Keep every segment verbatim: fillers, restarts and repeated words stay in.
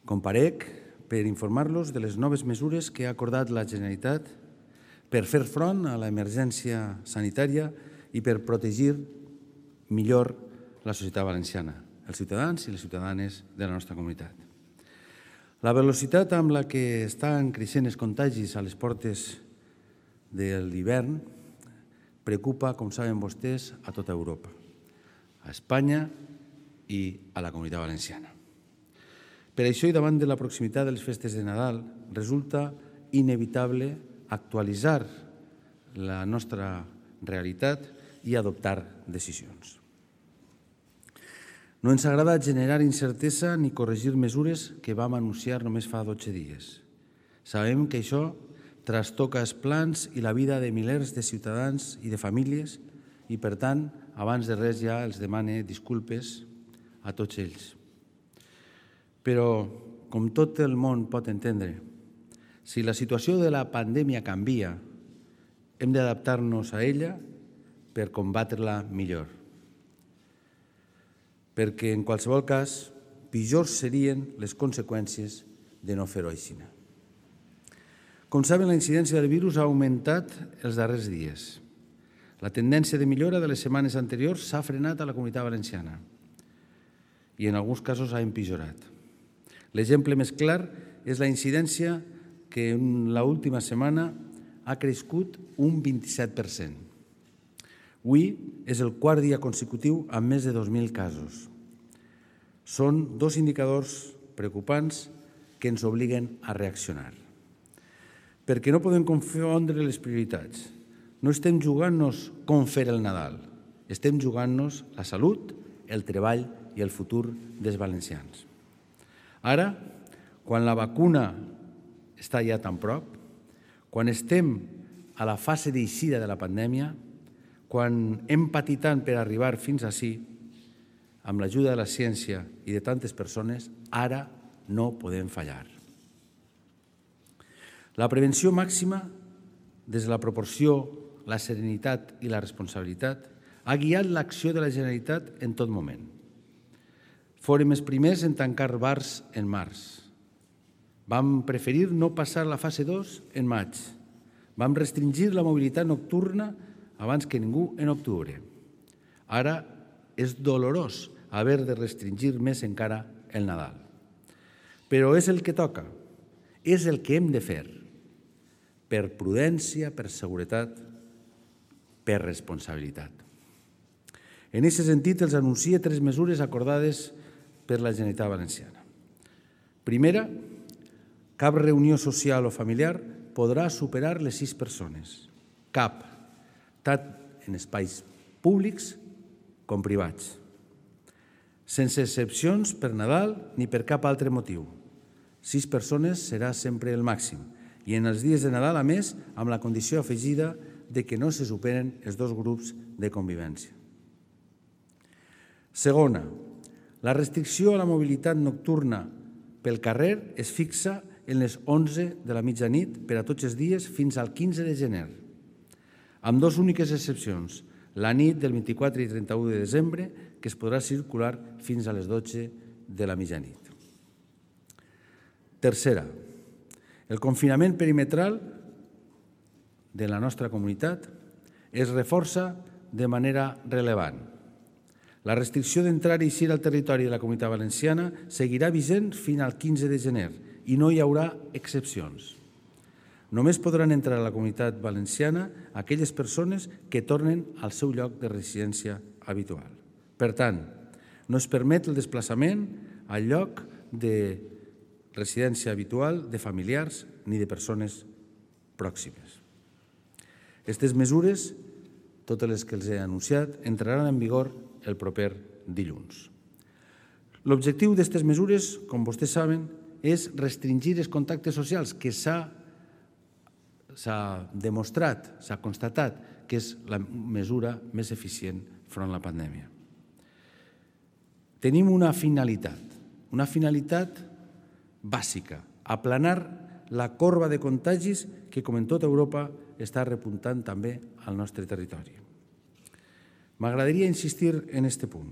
Comparec per informar-los de les noves mesures que ha acordat la Generalitat per fer front a l'emergència sanitària i per protegir millor la societat valenciana, els ciutadans i les ciutadanes de la nostra comunitat. La velocitat amb la que estan creixent els contagis a les portes de l'hivern preocupa, com saben vostès, a tota Europa, a Espanya i a la Comunitat Valenciana. Per això i davant de la proximitat de les festes de Nadal, resulta inevitable actualitzar la nostra realitat i adoptar decisions. No ens agrada generar incertesa ni corregir mesures que vam anunciar només fa dotze dies. Sabem que això trastoca els plans i la vida de milers de ciutadans i de famílies i, per tant, abans de res ja els demane disculpes a tots ells. Però, com tot el món pot entendre, si la situació de la pandèmia canvia, hem d'adaptar-nos a ella per combatre-la millor. Perquè, en qualsevol cas, pitjors serien les conseqüències de no fer-ho així. Com saben, la incidència del virus ha augmentat els darrers dies. La tendència de millora de les setmanes anteriors s'ha frenat a la Comunitat Valenciana i en alguns casos ha empitjorat. L'exemple més clar és la incidència que en l'última setmana ha crescut un vint-i-set per cent. Avui és el quart dia consecutiu amb més de dos mil casos. Són dos indicadors preocupants que ens obliguen a reaccionar. Perquè no podem confondre les prioritats. No estem jugant-nos com fer el Nadal. Estem jugant-nos la salut, el treball i el futur dels valencians. Ara, quan la vacuna està ja tan prop, quan estem a la fase d'eixida de la pandèmia, quan hem patit tant per arribar fins ací, amb l'ajuda de la ciència i de tantes persones, ara no podem fallar. La prevenció màxima, des de la proporció, la serenitat i la responsabilitat, ha guiat l'acció de la Generalitat en tot moment. Fórem els primers en tancar bars en març. Vam preferir no passar la fase dos en maig. Vam restringir la mobilitat nocturna abans que ningú en octubre. Ara és dolorós haver de restringir més encara el Nadal. Però és el que toca, és el que hem de fer, per prudència, per seguretat, per responsabilitat. En aquest sentit, els anuncie tres mesures acordades per la Generalitat Valenciana. Primera, cap reunió social o familiar podrà superar les sis persones. Cap, tant en espais públics com privats. Sense excepcions per Nadal ni per cap altre motiu. Sis persones serà sempre el màxim i en els dies de Nadal, a més, amb la condició afegida de que no se superen els dos grups de convivència. Segona, la restricció a la mobilitat nocturna pel carrer es fixa en les onze de la mitjanit per a tots els dies fins al quinze de gener, amb dues úniques excepcions, la nit del vint-i-quatre i trenta-u de desembre, que es podrà circular fins a les dotze de la mitjanit. Tercera, el confinament perimetral de la nostra comunitat es reforça de manera rellevant. La restricció d'entrar i eixir al territori de la Comunitat Valenciana seguirà vigent fins al quinze de gener i no hi haurà excepcions. Només podran entrar a la Comunitat Valenciana aquelles persones que tornen al seu lloc de residència habitual. Per tant, no es permet el desplaçament al lloc de residència habitual de familiars ni de persones pròximes. Aquestes mesures, totes les que els he anunciat, entraran en vigor el proper dilluns. L'objectiu d'aquestes mesures, com vostès saben, és restringir els contactes socials, que s'ha demostrat, s'ha constatat que és la mesura més eficient front a la pandèmia. Tenim una finalitat, una finalitat bàsica, aplanar la corba de contagis que, com en tota Europa, està repuntant també al nostre territori. M'agradaria insistir en aquest punt.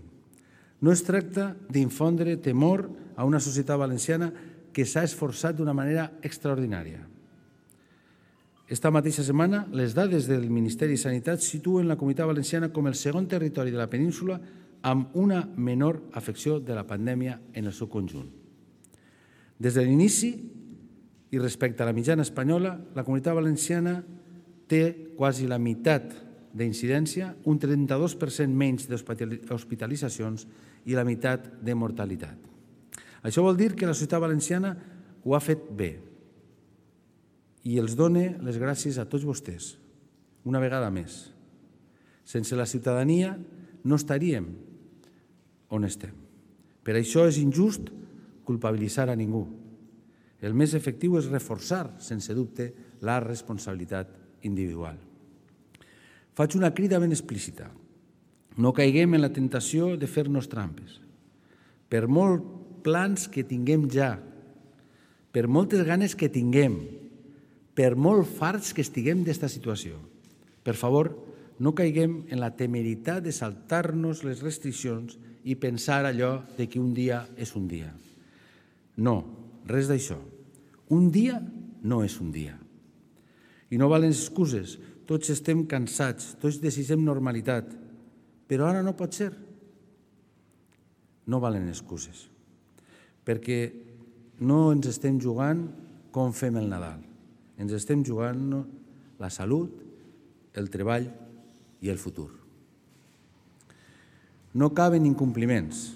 No es tracta d'infondre temor a una societat valenciana que s'ha esforçat d'una manera extraordinària. Esta mateixa setmana, les dades del Ministeri de Sanitat situen la Comunitat Valenciana com el segon territori de la península amb una menor afecció de la pandèmia en el seu conjunt. Des de l'inici, i respecte a la mitjana espanyola, la Comunitat Valenciana té quasi la meitat d'incidència, un trenta-dos per cent menys d'hospitalitzacions i la meitat de mortalitat. Això vol dir que la societat valenciana ho ha fet bé i els done les gràcies a tots vostès, una vegada més. Sense la ciutadania no estaríem on estem. Per això és injust culpabilitzar a ningú. El més efectiu és reforçar, sense dubte, la responsabilitat individual. Faig una crida ben explícita. No caiguem en la tentació de fer-nos trampes. Per molts plans que tinguem ja, per moltes ganes que tinguem, per molt farts que estiguem d'esta situació, per favor, no caiguem en la temeritat de saltar-nos les restriccions i pensar allò de que un dia és un dia. No, res d'això. Un dia no és un dia. I no valen excuses. Tots estem cansats, tots desitgem normalitat, però ara no pot ser. No valen excuses, perquè no ens estem jugant com fem el Nadal. Ens estem jugant la salut, el treball i el futur. No caben incompliments.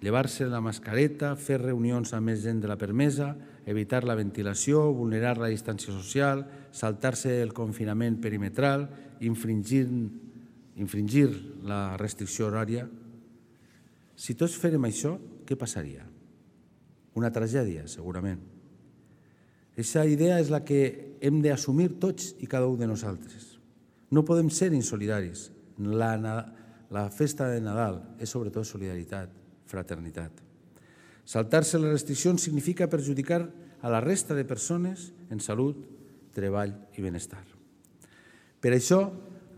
Llevar-se la mascareta, fer reunions amb més gent de la permesa, evitar la ventilació, vulnerar la distància social, saltar-se el confinament perimetral, infringir, infringir la restricció horària. Si tots fèrem això, què passaria? Una tragèdia, segurament. Aquesta idea és la que hem d'assumir tots i cada un de nosaltres. No podem ser insolidaris. La, la festa de Nadal és sobretot solidaritat, fraternitat. Saltar-se les restriccions significa perjudicar a la resta de persones en salut, treball i benestar. Per això,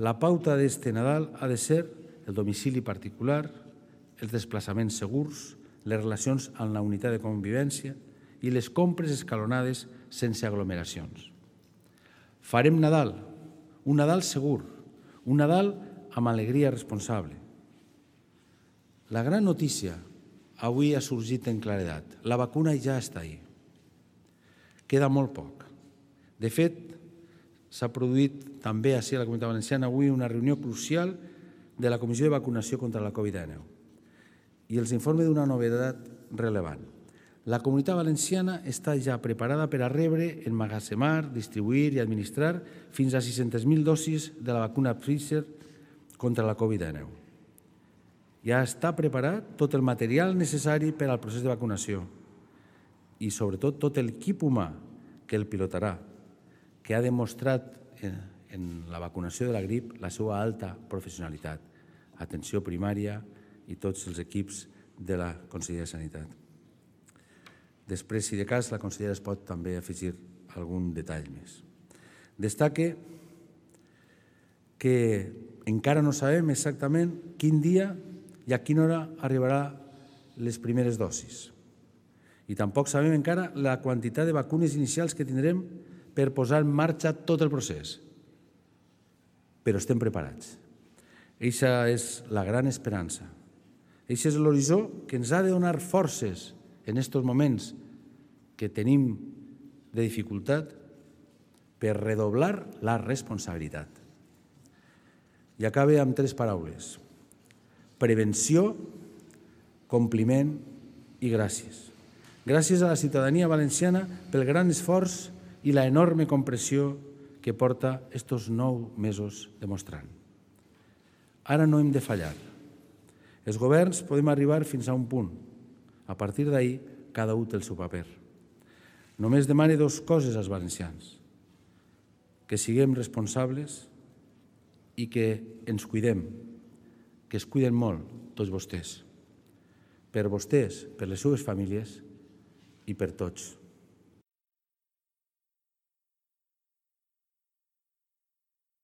la pauta d'este Nadal ha de ser el domicili particular, els desplaçaments segurs, les relacions amb la unitat de convivència i les compres escalonades sense aglomeracions. Farem Nadal, un Nadal segur, un Nadal amb alegria responsable. La gran notícia avui ha sorgit en claredat. La vacuna ja està ahí. Queda molt poc. De fet, s'ha produït també ací a la Comunitat Valenciana avui una reunió crucial de la Comissió de Vacunació contra la Covid dinou i els informa d'una novetat rellevant. La Comunitat Valenciana està ja preparada per a rebre, emmagatzemar, distribuir i administrar fins a sis-centes mil dosis de la vacuna Pfizer contra la Covid dinou. Ja està preparat tot el material necessari per al procés de vacunació i, sobretot, tot l'equip humà que el pilotarà, que ha demostrat en la vacunació de la grip la seva alta professionalitat, atenció primària i tots els equips de la Conselleria de Sanitat. Després, si de cas, la consellera es pot també afegir algun detall més. Destaque que encara no sabem exactament quin dia i a quina hora arribarà les primeres dosis. I tampoc sabem encara la quantitat de vacunes inicials que tindrem per posar en marxa tot el procés. Però estem preparats. Eixa és la gran esperança. Eixa és l'horitzó que ens ha de donar forces en aquests moments que tenim de dificultat per redoblar la responsabilitat. I acabe amb tres paraules. Prevenció, compliment i gràcies. Gràcies a la ciutadania valenciana pel gran esforç i la enorme compressió que porta estos nou mesos demostrant. Ara no hem de fallar. Els governs podem arribar fins a un punt. A partir d'ahí, cada un té el seu paper. Només demane dues coses als valencians. Que siguem responsables i que ens cuidem, que es cuiden molt tots vostès. Per vostès, per les seves famílies i per tots.